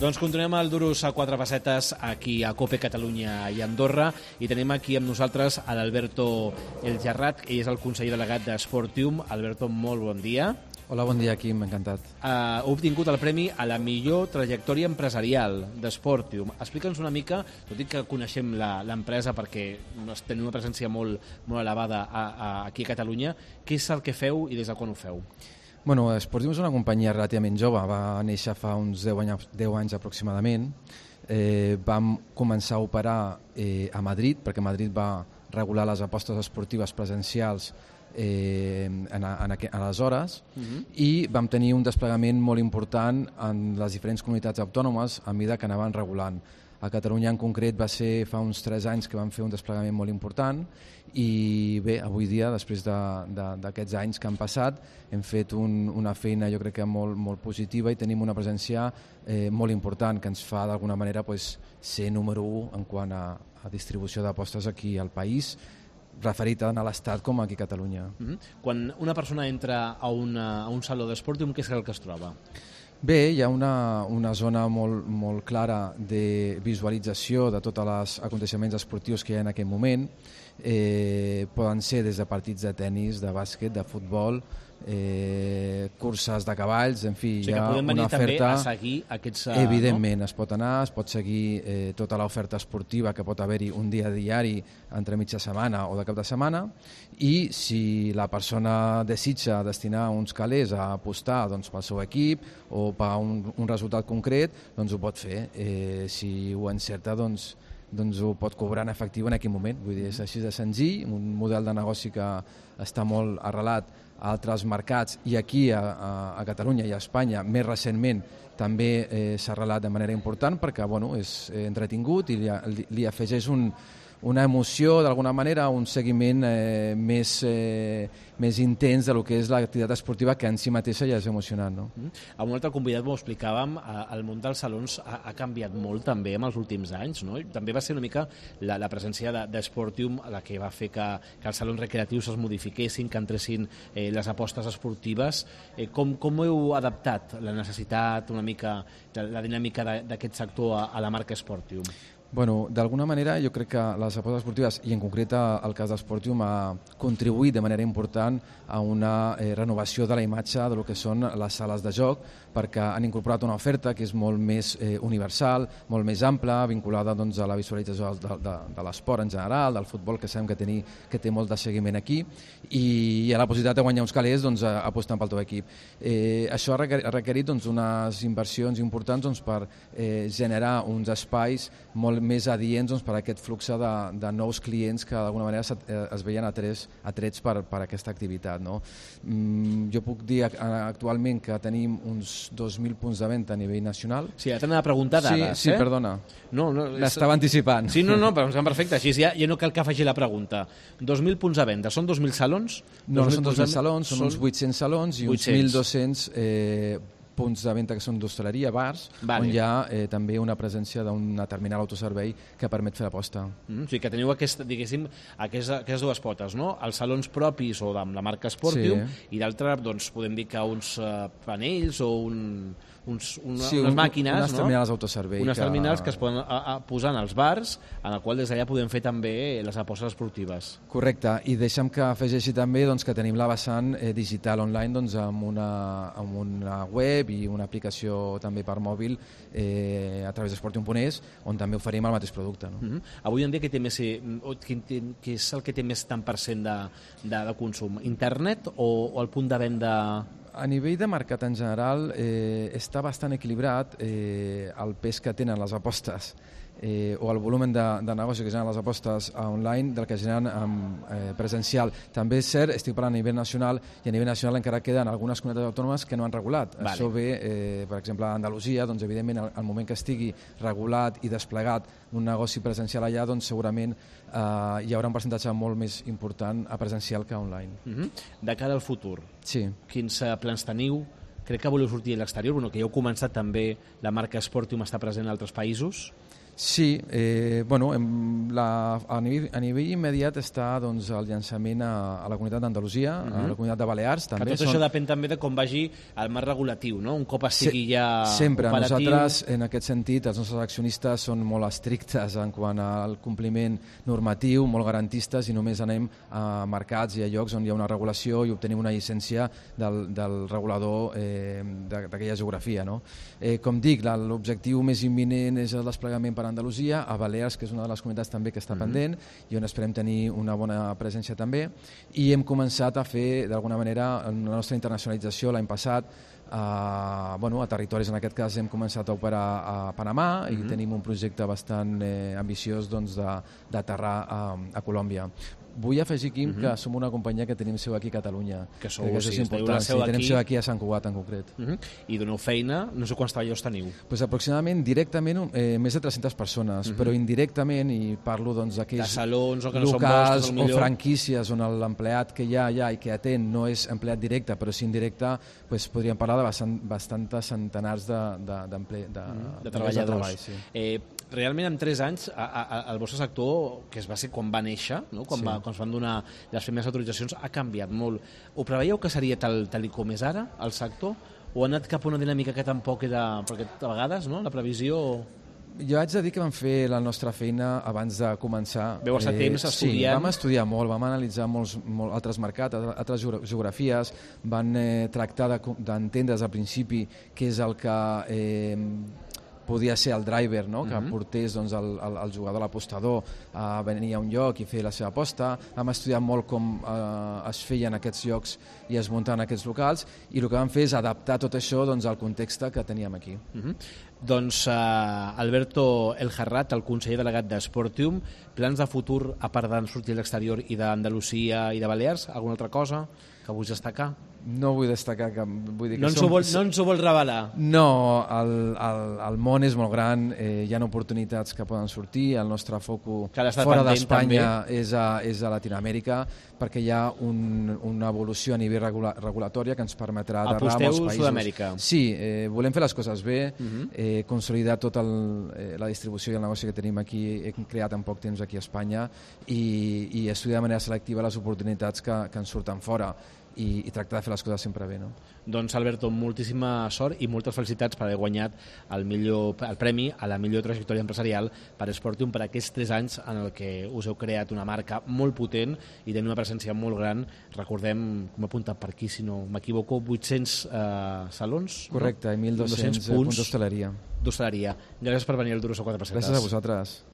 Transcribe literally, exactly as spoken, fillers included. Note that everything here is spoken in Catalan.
Doncs continuem el Duros a quatre pessetes aquí a COPE Catalunya i Andorra i tenim aquí amb nosaltres a l'Alberto El Gerrat, ell és el conseller delegat d'Sportium. Alberto, molt bon dia. Hola, bon dia, Quim, encantat. Uh, heu obtingut el premi a la millor trajectòria empresarial d'Sportium. Explica'ns una mica, tot i que coneixem l'empresa perquè tenim una presència molt, molt elevada a, a, aquí a Catalunya, què és el que feu i des de quan ho feu? Bueno, Sportium és una companyia relativament jove, va néixer fa uns deu anys, deu anys aproximadament. Eh, vam començar a operar eh, a Madrid, perquè Madrid va regular les apostes esportives presencials eh, en, en, en aleshores, uh-huh. i vam tenir un desplegament molt important en les diferents comunitats autònomes a mesura que anaven regulant. A Catalunya en concret va ser fa uns tres anys que vam fer un desplegament molt important i bé, avui dia, després d'aquests de, de, anys que han passat, hem fet un, una feina jo crec que molt, molt positiva i tenim una presència eh, molt important que ens fa d'alguna manera pues, ser número u en quant a, a distribució d'apostes aquí al país, referit tant a l'Estat com aquí a Catalunya. Mm-hmm. Quan una persona entra a, una, a un saló d'Sportium, què és el que es troba? Bé, hi ha una, una zona molt, molt clara de visualització de tots els aconteixements esportius que hi ha en aquest moment. Eh, poden ser des de partits de tennis, de bàsquet, de futbol, eh, curses de cavalls, en fi, o sigui, hi ha que podem venir una oferta... també a seguir aquests... Uh, evidentment, no? Es pot anar, es pot seguir eh, tota l'oferta esportiva que pot haver-hi un dia diari entre mitja setmana o de cap de setmana, i si la persona desitja destinar uns calés a apostar doncs, pel seu equip o per un, un resultat concret, doncs ho pot fer. Eh, si ho encerta, doncs, doncs ho pot cobrar en efectiu en aquell moment. Vull dir, és així de senzill, un model de negoci que està molt arrelat a altres mercats i aquí a, a, a Catalunya i a Espanya més recentment també eh, s'ha arrelat de manera important perquè bueno, és eh, entretingut i li, li, li afegeix un, una emoció d'alguna manera, un seguiment eh, més, eh, més intens del que és l'activitat esportiva que en si mateixa ja és emocionant. No? Mm. A un altre convidat m'ho explicàvem, el món dels salons ha, ha canviat molt també en els últims anys, no? També va ser una mica la, la presència d'Sportium de, la que va fer que, que els salons recreatius es modifiquessin, que entressin eh, les apostes esportives. Eh, com, com heu adaptat la necessitat, una mica, la dinàmica d'aquest sector a, a la marca Sportium? Bueno, d'alguna manera jo crec que les apostes esportives, i en concret el cas d'Sportium, ha contribuït de manera important a una eh, renovació de la imatge de lo que són les sales de joc, perquè han incorporat una oferta que és molt més eh, universal, molt més ampla, vinculada doncs, a la visualització de, de, de l'esport en general, del futbol, que sabem que, tenir, que té molt de seguiment aquí, i hi ha la possibilitat de guanyar uns calés doncs, apostant pel teu equip. Eh, això ha requerit, ha requerit doncs, unes inversions importants doncs, per eh, generar uns espais molt més adients doncs, per a aquest flux de, de nous clients que d'alguna manera es, es veien atrets, atrets per, per aquesta activitat. No? Mm, jo puc dir actualment que tenim uns dos mil punts de venda a nivell nacional. Sí, ja t'anava a preguntar dades. Sí, sí, eh? perdona. No, no, L'estava és... anticipant. Sí, no, no, però em sembla perfecte. Així ja, ja no cal que faci la pregunta. dos mil punts de venda, són dos mil salons? No, no són dos mil salons, són, són uns vuit-cents salons i vuit-cents. uns mil dos-cents eh, punts de venda que són d'hostaleria, bars, vale. On hi ha eh, també una presència d'una terminal autoservei que permet fer l'aposta. Mm, o sigui que teniu aquest, diguéssim, aquesta, aquestes dues potes, no? Els salons propis o amb la marca Sportium, sí. I d'altre, doncs, podem dir que uns uh, panells o un, uns, una, sí, unes un, màquines, unes no? terminals autoservei. Unes que... terminals que es poden a, a, posar en els bars, en el qual des d'allà podem fer també les apostes esportives. Correcte, i deixa'm que afegeixi també doncs, que tenim la vessant eh, digital online doncs, amb, una, amb una web i una aplicació també per mòbil eh, a través d'Sportium punt es, on també oferim el mateix producte. No? Mm-hmm. Avui en dia què, té més, què és el que té més tant per cent de, de, de consum? Internet o, o el punt de venda? A nivell de mercat en general eh, està bastant equilibrat eh, el pes que tenen les apostes eh, o el volum de, de negoci que generen les apostes online del que generen eh, presencial. També és cert, estic parlant a nivell nacional, i a nivell nacional encara queden algunes comunitats autònomes que no han regulat. Vale. Això ve, eh, per exemple, a Andalusia, doncs, evidentment, al, al moment que estigui regulat i desplegat un negoci presencial allà, doncs segurament eh, hi haurà un percentatge molt més important a presencial que online. Mm-hmm. De cara al futur, sí. Quins uh, plans teniu? Crec que voleu sortir a l'exterior, bueno, que ja heu començat també, la marca Sportium està present en altres països. Sí, eh, bueno, em, la, a, nivell, a nivell immediat està doncs, el llançament a, a la comunitat d'Andalusia, uh -huh. a la comunitat de Balears també. Que tot són... això depèn també de com vagi el marc regulatiu, no? Un cop estigui Se ja sempre. operatiu... Nosaltres, en aquest sentit, els nostres accionistes són molt estrictes en quant al compliment normatiu, molt garantistes, i només anem a mercats i a llocs on hi ha una regulació i obtenim una llicència del, del regulador eh, d'aquella geografia. No? Eh, com dic, l'objectiu més imminent és el desplegament per a Andalusia, a Balears, que és una de les comunitats també que està mm-hmm. pendent, i on esperem tenir una bona presència també, i hem començat a fer, d'alguna manera, la nostra internacionalització l'any passat, a, bueno, a territoris, en aquest cas hem començat a operar a Panamà, mm-hmm. i tenim un projecte bastant eh, ambiciós doncs, d'aterrar a, a Colòmbia. Vull afegir, Quim, uh-huh. que som una companyia que tenim seu aquí a Catalunya. Que sou, que sí, és important. seu sí, aquí. Tenim seu aquí a Sant Cugat, en concret. Uh-huh. I doneu feina, no sé quants treballadors teniu. Pues aproximadament, directament, eh, més de tres-centes persones, uh-huh. però indirectament, i parlo doncs, d'aquells salons o que no locals són vostres, o franquícies on l'empleat que hi ha allà i que atén no és empleat directe, però sí indirecte, pues, podríem parlar de bastant, bastantes centenars de, de, de, de, de, de treballadors. De treball, sí. eh, realment, en tres anys, a, a, el vostre sector, que es va ser quan va néixer, no? quan, sí. va, quan es van donar les primeres autoritzacions, ha canviat molt. Ho preveieu que seria tal, tal com és ara, el sector? O ha anat cap a una dinàmica que tampoc era... Perquè a vegades, no?, la previsió... Jo haig de dir que vam fer la nostra feina abans de començar. Veu estar eh, temps estudiant? Sí, vam estudiar molt, vam analitzar molts, molt altres mercats, altres geografies, van eh, tractar d'entendre de, des del principi què és el que... Eh, podia ser el driver, no? que uh-huh. portés doncs, el, el, el jugador, l'apostador, a venir a un lloc i fer la seva aposta. Hem estudiat molt com eh, es feien aquests llocs i es muntaven aquests locals, i el que vam fer és adaptar tot això doncs, al context que teníem aquí. Uh-huh. Doncs uh, Alberto El Jarrat, el conseller delegat d'Sportium, plans de futur a part de sortir a l'exterior i d'Andalusia i de Balears? Alguna altra cosa que vull destacar? No vull destacar que... Vull dir que no, ens som... vol, no ens ho vol revelar? No, el, el, el món és molt gran, eh, hi ha oportunitats que poden sortir, el nostre focus fora d'Espanya és, a, és a Latinoamèrica, perquè hi ha un, una evolució a nivell regula, regulatòria que ens permetrà aterrar a molts països. Sud-amèrica? Sí, eh, volem fer les coses bé, uh-huh. eh, consolidar tota eh, la distribució i el negoci que tenim aquí, hem creat en poc temps aquí a Espanya, i, i estudiar de manera selectiva les oportunitats que, que ens surten fora. I, i tractar de fer les coses sempre bé. No? Doncs Alberto, moltíssima sort i moltes felicitats per haver guanyat el, millor, el premi a la millor trajectòria empresarial per Sportium per aquests tres anys en el que us heu creat una marca molt potent i tenir una presència molt gran. Recordem, com he apuntat per aquí, si no m'equivoco, vuit-cents eh, salons? Correcte, no? I mil dos-cents punts d'hostaleria. D'hostaleria. Gràcies per venir al Duro so quatre pessetes. Gràcies a vosaltres.